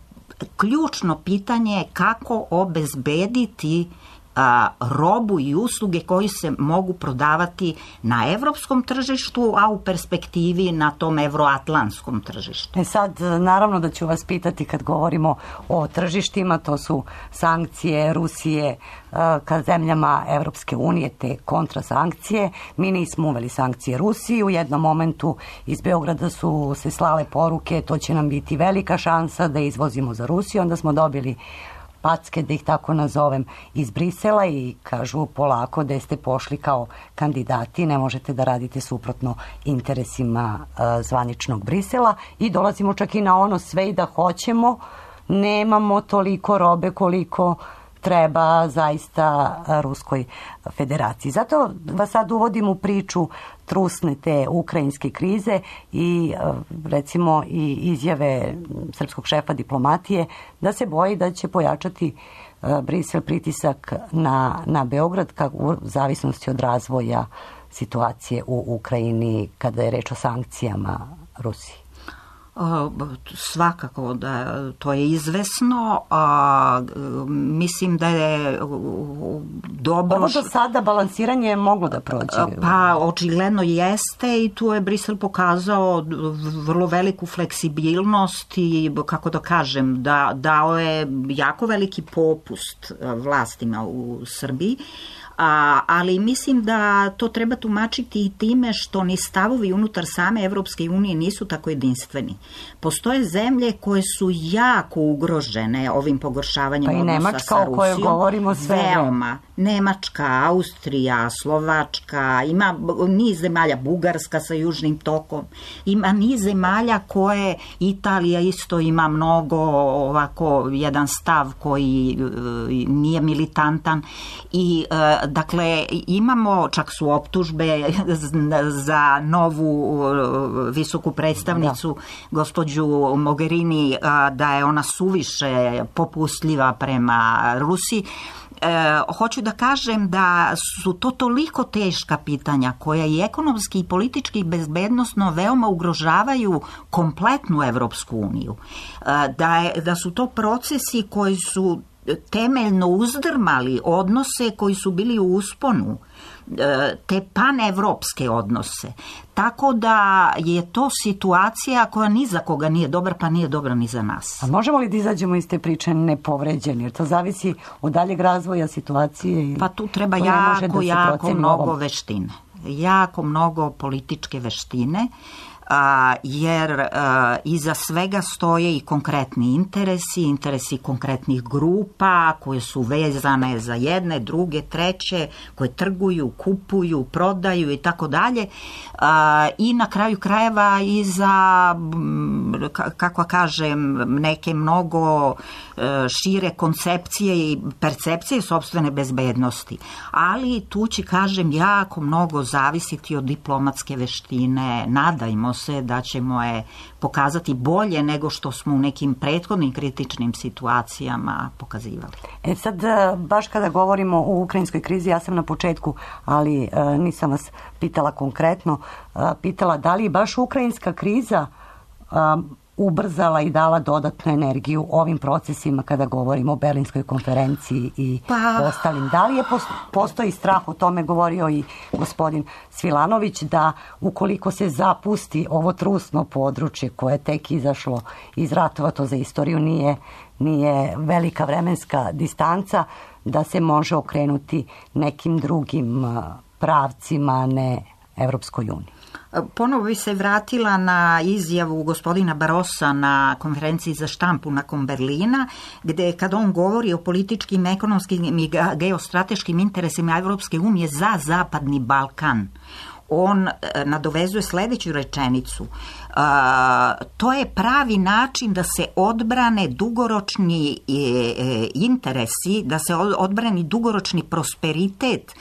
ključno pitanje je kako obezbediti a, robu i usluge koji se mogu prodavati na evropskom tržištu, a u perspektivi na tom evroatlantskom tržištu. E sad, naravno da ću vas pitati kad govorimo o tržištima, to su sankcije Rusije ka zemljama Evropske unije, te kontrasankcije. Mi nismo uveli sankcije Rusiji, u jednom momentu iz Beograda su se slale poruke, to će nam biti velika šansa da izvozimo za Rusiju, onda smo dobili packe, da ih tako nazovem, iz Brisela i kažu polako da ste pošli kao kandidati, ne možete da radite suprotno interesima uh, zvaničnog Brisela i dolazimo čak i na ono sve i da hoćemo, nemamo toliko robe koliko treba zaista Ruskoj federaciji. Zato vas sad uvodim u priču trusne te ukrajinske krize i recimo i izjave srpskog šefa diplomatije da se boji da će pojačati Brisel pritisak na, na Beograd kako u zavisnosti od razvoja situacije u Ukrajini kada je reč o sankcijama Rusiji. Svakako da to je izvesno, a, mislim da je dobro... Ovo do sada balansiranje je moglo da prođe. Pa očigledno jeste i tu je Brisel pokazao vrlo veliku fleksibilnost i, kako da kažem, da, dao je jako veliki popust vlastima u Srbiji. A, ali mislim da to treba tumačiti i time što ni stavovi unutar same Evropske unije nisu tako jedinstveni. Postoje zemlje koje su jako ugrožene ovim pogoršavanjem pa odnosa Nemačka, sa Rusijom. O kojoj govorimo sve. Veoma. Nemačka, Austrija, Slovačka, ima niz zemalja, Bugarska sa južnim tokom, ima niz zemalja koje, Italija isto ima mnogo ovako jedan stav koji nije militantan i dakle dakle, čak su optužbe za novu visoku predstavnicu, da. gospođu Mogherini, da je ona suviše popustljiva prema Rusiji. E, hoću da kažem da su to toliko teška pitanja koja i ekonomski i politički i bezbednosno veoma ugrožavaju kompletnu Evropsku uniju. E, da, je, da su to procesi koji su temeljno uzdrmali odnose koji su bili u usponu, te panevropske odnose. Tako da je to situacija koja ni za koga nije dobra, pa nije dobra ni za nas. A možemo li da izađemo iz te priče nepovređeni? Jer to zavisi od daljeg razvoja situacije. Pa tu treba jako, da jako mnogo ovom. veštine. Jako mnogo političke veštine. A, jer a, iza svega stoje i konkretni interesi, interesi konkretnih grupa koje su vezane za jedne, druge, treće, koje trguju, kupuju, prodaju i tako dalje. I na kraju krajeva i za, kako kažem, neke mnogo šire koncepcije i percepcije sopstvene bezbednosti. Ali tu će, kažem, jako mnogo zavisiti od diplomatske veštine. Nadajmo se da ćemo je pokazati bolje nego što smo u nekim prethodnim kritičnim situacijama pokazivali. E sad, baš kada govorimo o ukrajinskoj krizi, ja sam na početku, ali e, nisam vas pitala konkretno, e, pitala da li baš ukrajinska kriza e, ubrzala i dala dodatnu energiju ovim procesima kada govorimo o Berlinskoj konferenciji i pa... ostalim. Da li je postoji strah, o tome govorio i gospodin Svilanović, da ukoliko se zapusti ovo trusno područje koje je tek izašlo iz ratova, to za istoriju nije, nije velika vremenska distanca, da se može okrenuti nekim drugim pravcima, ne Evropskoj uniji? Ponovo bi se vratila na izjavu gospodina Barossa na konferenciji za štampu nakon Berlina, gde kad on govori o političkim, ekonomskim i geostrateškim interesima Evropske unije za Zapadni Balkan, on nadovezuje sledeću rečenicu. Uh, to je pravi način da se odbrane dugoročni e, e, interesi, da se odbrani dugoročni prosperitet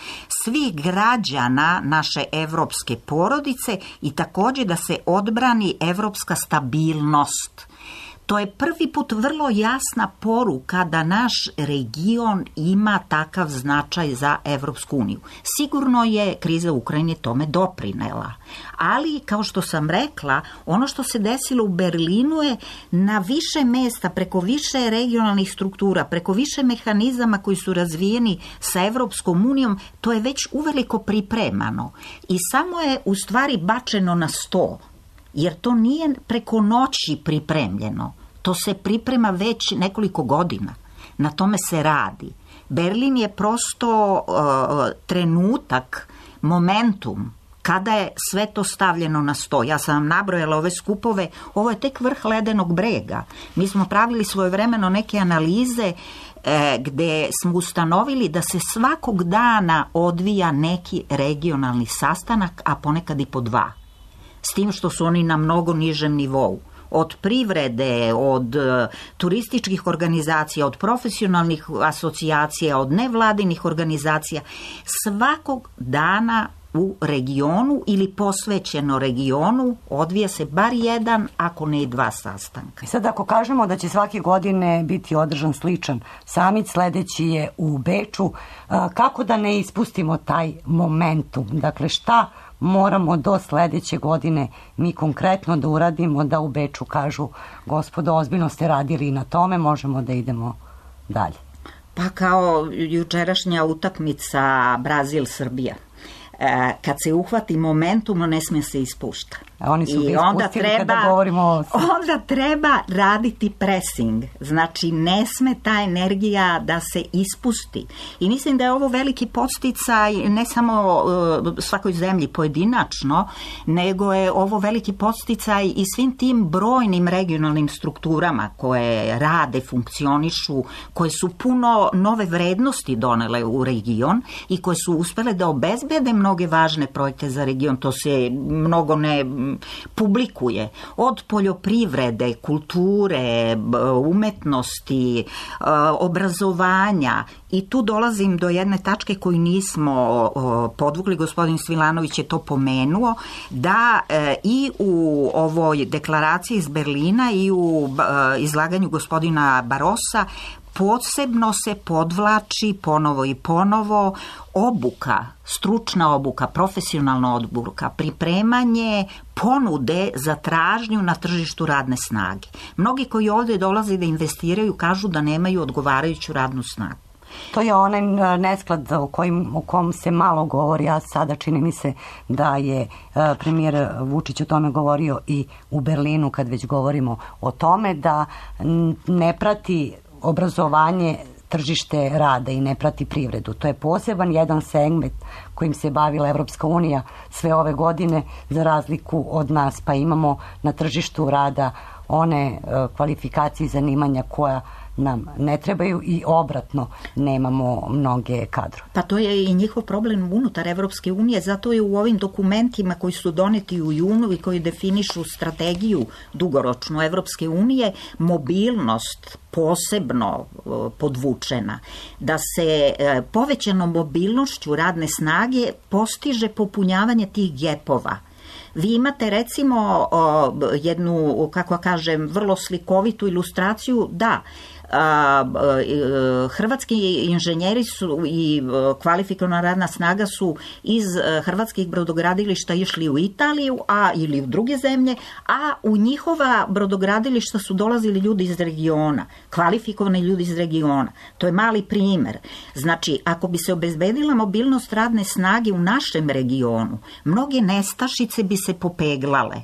svih građana naše evropske porodice i takođe da se odbrani evropska stabilnost. To je prvi put vrlo jasna poruka da naš region ima takav značaj za Evropsku uniju. Sigurno je kriza u Ukrajini tome doprinela, ali kao što sam rekla, ono što se desilo u Berlinu je na više mesta, preko više regionalnih struktura, preko više mehanizama koji su razvijeni sa Evropskom unijom, to je već uveliko pripremano i samo je u stvari bačeno na sto, jer to nije preko noći pripremljeno. To se priprema već nekoliko godina. Na tome se radi. Berlin je prosto uh, trenutak, momentum, kada je sve to stavljeno na sto. Ja sam vam nabrojala ove skupove, ovo je tek vrh ledenog brega. Mi smo pravili svojevremeno neke analize e, gde smo ustanovili da se svakog dana odvija neki regionalni sastanak, a ponekad i po dva. S tim što su oni na mnogo nižem nivou. Od privrede, od uh, turističkih organizacija, od profesionalnih asocijacija, od nevladinih organizacija, svakog dana u regionu ili posvećeno regionu odvija se bar jedan, ako ne i dva sastanka. Sad ako kažemo da će svake godine biti održan sličan samit, sledeći je u Beču, kako da ne ispustimo taj momentum? Dakle, šta moramo do sledeće godine mi konkretno da uradimo da u Beču kažu gospodo, ozbiljno ste radili i na tome, možemo da idemo dalje? Pa kao jučerašnja utakmica Brazil-Srbija. Kad se uhvati momentum, ne smije se ispušta. A oni su ga ispustili kada govorimo o... Onda treba raditi pressing. Znači, ne sme ta energija da se ispusti. I mislim da je ovo veliki podsticaj ne samo uh, svakoj zemlji pojedinačno, nego je ovo veliki podsticaj i svim tim brojnim regionalnim strukturama koje rade, funkcionišu, koje su puno nove vrednosti donele u region i koje su uspele da obezbede mnoge važne projekte za region. To se mnogo ne publikuje. Od poljoprivrede, kulture, umetnosti, obrazovanja. I tu dolazim do jedne tačke koju nismo podvukli, gospodin Svilanović je to pomenuo, da i u ovoj deklaraciji iz Berlina i u izlaganju gospodina Barossa posebno se podvlači ponovo i ponovo obuka, stručna obuka, profesionalna obuka, pripremanje ponude za tražnju na tržištu radne snage. Mnogi koji ovdje dolaze da investiraju kažu da nemaju odgovarajuću radnu snagu. To je onaj nesklad o, kojim, o kom se malo govori, a sada čini mi se da je premijer Vučić o tome govorio i u Berlinu, kad već govorimo o tome, da ne prati obrazovanje tržište rada i ne prati privredu. To je poseban jedan segment kojim se bavila Evropska unija sve ove godine, za razliku od nas, pa imamo na tržištu rada one kvalifikacije i zanimanja koja nam ne trebaju i obratno nemamo mnoge kadrove. Pa to je i njihov problem unutar Evropske unije, zato je u ovim dokumentima koji su doneti u junu i koji definišu strategiju dugoročnu Evropske unije mobilnost posebno podvučena, da se povećanom mobilnošću radne snage postiže popunjavanje tih gepova. Vi imate recimo jednu, kako kažem, vrlo slikovitu ilustraciju, da, hrvatski inženjeri su i kvalifikovana radna snaga su iz hrvatskih brodogradilišta išli u Italiju, a ili u druge zemlje, a u njihova brodogradilišta su dolazili ljudi iz regiona, kvalifikovani ljudi iz regiona. To je mali primer. Znači, ako bi se obezbedila mobilnost radne snage u našem regionu, mnoge nestašice bi se popeglale.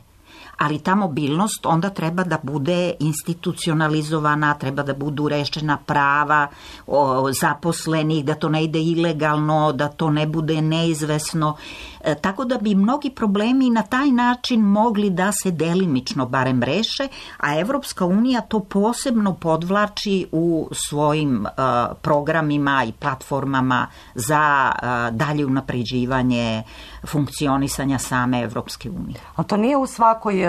Ali ta mobilnost onda treba da bude institucionalizovana, treba da budu rešena prava o, zaposlenih, da to ne ide ilegalno, da to ne bude neizvesno. E, tako da bi mnogi problemi na taj način mogli da se delimično barem reše, a Evropska unija to posebno podvlači u svojim uh, programima i platformama za uh, dalje unapređivanje funkcionisanja same Evropske unije. A to nije u svakoj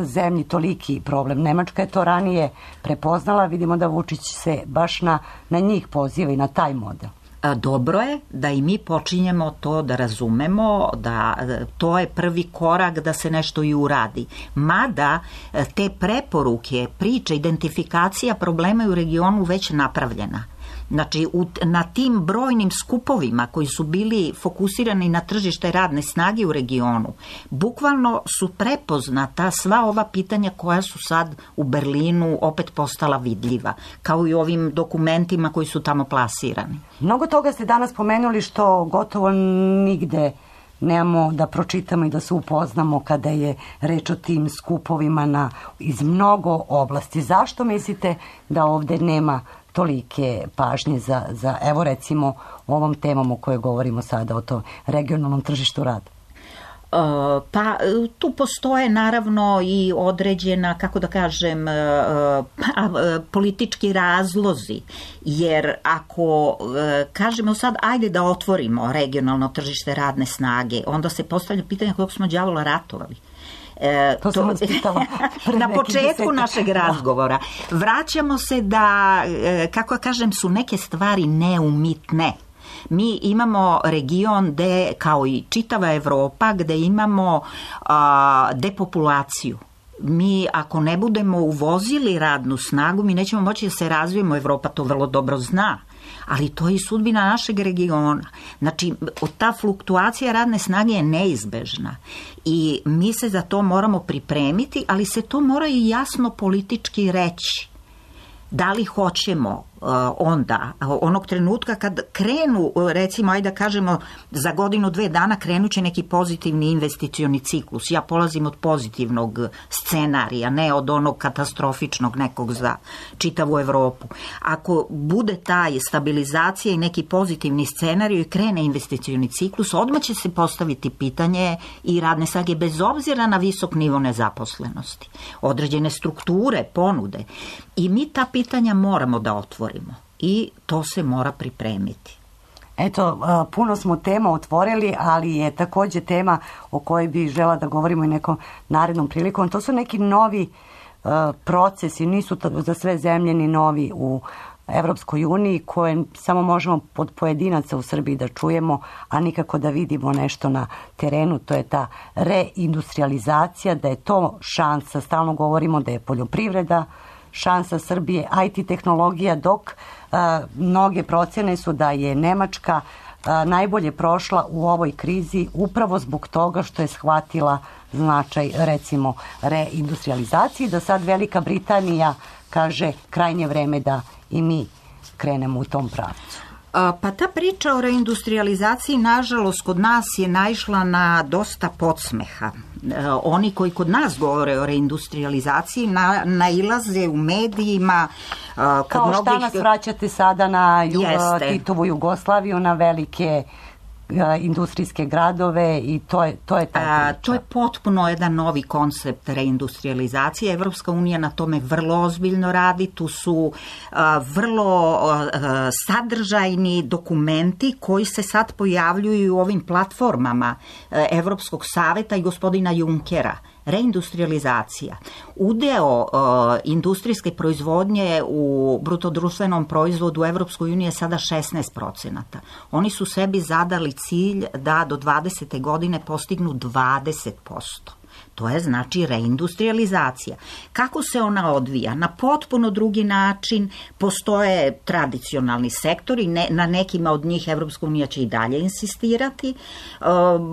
zemlji toliki problem. Nemačka je to ranije prepoznala, vidimo da Vučić se baš na, na njih poziva i na taj model. Dobro je da i mi počinjemo to da razumemo, da to je prvi korak da se nešto i uradi. Mada te preporuke, priče, identifikacija problema u regionu već napravljena. Znači, u, na tim brojnim skupovima koji su bili fokusirani na tržište radne snage u regionu, bukvalno su prepoznata sva ova pitanja koja su sad u Berlinu opet postala vidljiva, kao i ovim dokumentima koji su tamo plasirani. Mnogo toga ste danas pomenuli što gotovo nigde nemamo da pročitamo i da se upoznamo kada je reč o tim skupovima na, iz mnogo oblasti. Zašto mislite da ovde nema tolike pažnje za, za evo recimo ovom temom o kojoj govorimo sada, o tom regionalnom tržištu rada? Pa tu postoje naravno i određena, kako da kažem, politički razlozi, jer ako kažemo sad ajde da otvorimo regionalno tržište radne snage, onda se postavlja pitanje kojeg smo đavola ratovali. E, to sam to, na početku našeg razgovora. Vraćamo se da, kako kažem, su neke stvari neumitne. Mi imamo region gde, kao i čitava Evropa, gde imamo a, depopulaciju. Mi ako ne budemo uvozili radnu snagu, mi nećemo moći da se razvijemo. Evropa to vrlo dobro zna. Ali to je i sudbina našeg regiona. Znači, ta fluktuacija radne snage je neizbežna i mi se za to moramo pripremiti, ali se to mora i jasno politički reći. Da li hoćemo uh, onda, onog trenutka kad krenu, recimo, ajde da kažemo, za godinu, dve dana krenuće neki pozitivni investicioni ciklus. Ja polazim od pozitivnog scenarija, ne od onog katastrofičnog nekog za čitavu Evropu. Ako bude taj stabilizacija i neki pozitivni scenarij i krene investicioni ciklus, odmah će se postaviti pitanje i radne snage bez obzira na visok nivo nezaposlenosti. Određene strukture, ponude. I mi ta pitanja moramo da otvorimo i to se mora pripremiti. Eto, puno smo tema otvorili, ali je takođe tema o kojoj bi žela da govorimo i nekom narednom prilikom. To su neki novi uh, procesi, nisu za sve zemlje ni novi u Evropskoj uniji, koje samo možemo pod pojedinaca u Srbiji da čujemo, a nikako da vidimo nešto na terenu. To je ta reindustrializacija, da je to šansa. Stalno govorimo da je poljoprivreda šansa Srbije, I T tehnologija, dok a, mnoge procene su da je Nemačka a, najbolje prošla u ovoj krizi upravo zbog toga što je shvatila značaj, recimo, reindustrializacije, da sad Velika Britanija kaže krajnje vreme da i mi krenemo u tom pravcu. Pa ta priča o reindustrializaciji, nažalost, kod nas je naišla na dosta podsmeha. Oni koji kod nas govore o reindustrializaciji na, nailaze u medijima. Kod Kao šta mnogih... nas vraćate sada na ju, Titovu Jugoslaviju, na velike industrijske gradove i to je, to je ta priča. To je potpuno jedan novi koncept reindustrializacije. Evropska unija na tome vrlo ozbiljno radi. Tu su a, vrlo a, sadržajni dokumenti koji se sad pojavljuju u ovim platformama a, Evropskog saveta i gospodina Junckera. Reindustrializacija. Udeo uh, industrijske proizvodnje u brutodruštvenom proizvodu u Evropskoj uniji je sada šesnaest procenata. Oni su sebi zadali cilj da do dvadesete godine postignu dvadeset posto. To je znači reindustrializacija. Kako se ona odvija? Na potpuno drugi način. Postoje tradicionalni sektori, ne, na nekima od njih Evropska unija će i dalje insistirati, e,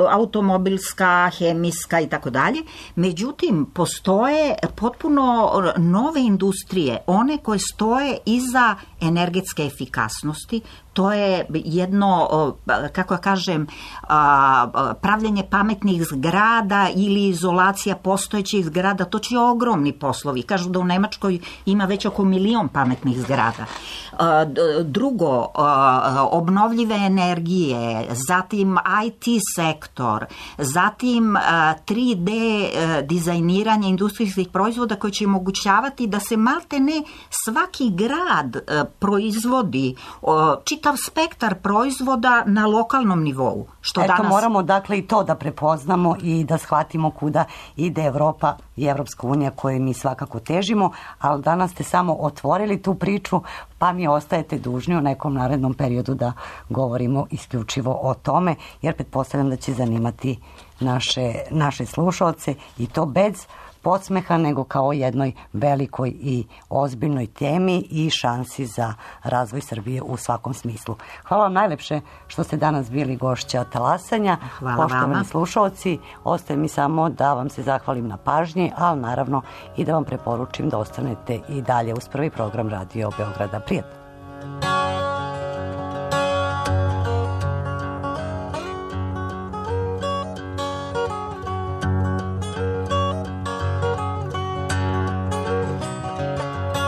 automobilska, hemijska i tako dalje. Međutim, postoje potpuno nove industrije, one koje stoje iza energetske efikasnosti. To je jedno, kako ja kažem, pravljanje pametnih zgrada ili izolacija postojećih zgrada. To će ogromni poslovi. Kažu da u Nemačkoj ima već oko milion pametnih zgrada. Drugo, obnovljive energije, zatim I T sektor, zatim tri D dizajniranje industrijskih proizvoda koji će omogućavati da se malte ne svaki grad proizvodi čitav spektar proizvoda na lokalnom nivou. Što Eto, danas... moramo dakle i to da prepoznamo i da shvatimo kuda ide Evropa i Evropska unija koje mi svakako težimo, ali danas ste samo otvorili tu priču, pa mi ostajete dužni u nekom narednom periodu da govorimo isključivo o tome, jer pretpostavljam da će zanimati naše, naše slušalce i to bez podsmeha, nego kao jednoj velikoj i ozbiljnoj temi i šansi za razvoj Srbije u svakom smislu. Hvala vam najlepše što ste danas bili gošća Talasanja. Hvala Poštovani vama. slušalci, ostaje mi samo da vam se zahvalim na pažnji, ali naravno i da vam preporučim da ostanete i dalje uz prvi program Radio Beograda. Prijatno.